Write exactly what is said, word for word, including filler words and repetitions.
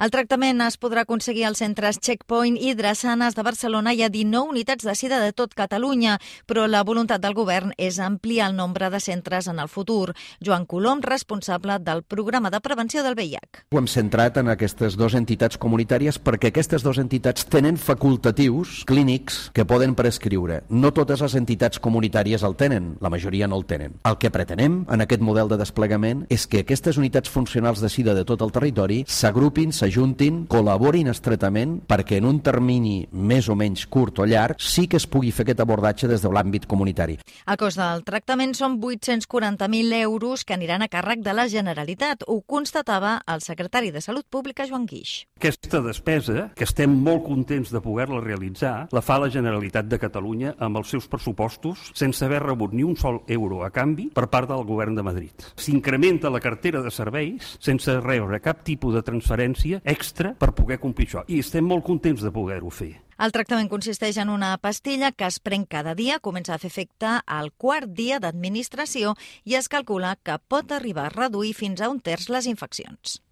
El tractament es podrà aconseguir als centres Checkpoint i Drassanes de Barcelona. Hi ha dinou unitats de sida de tot Catalunya, però la voluntat del govern és ampliar el nombre de centres en el futur. Joan Colom, responsable del programa de prevenció del V I H. Ho hem centrat en aquestes dues entitats comunitàries perquè aquestes dues entitats tenen facultatius clínics que poden prescriure. No totes les entitats comunitàries el tenen, la majoria no el tenen. El que pretenem en aquest model de desplegament és que aquestes unitats funcionals de sida de tot el territori s'agrupin, s'ajuntin, col·laborin estretament perquè en un termini més o menys curt o llarg sí que es pugui fer aquest abordatge des de l'àmbit comunitari. El cost del tractament són vuit-cents quaranta mil euros que aniran a càrrec de la Generalitat. Ho constatava el secretari de Salut Pública, Joan Guix. Aquesta despesa, que estem molt contents de poder-la realitzar, la fa la Generalitat de Catalunya amb els seus pressupostos sense haver rebut ni un sol euro a canvi per part del govern de Madrid. S'incrementa la cartera de serveis sense rebre cap tipus de transferència extra per poder complir això. I estem molt contents de poder-ho fer. El tractament consisteix en una pastilla que es pren cada dia, comença a fer efecte al quart dia d'administració i es calcula que pot arribar a reduir fins a un terç les infeccions.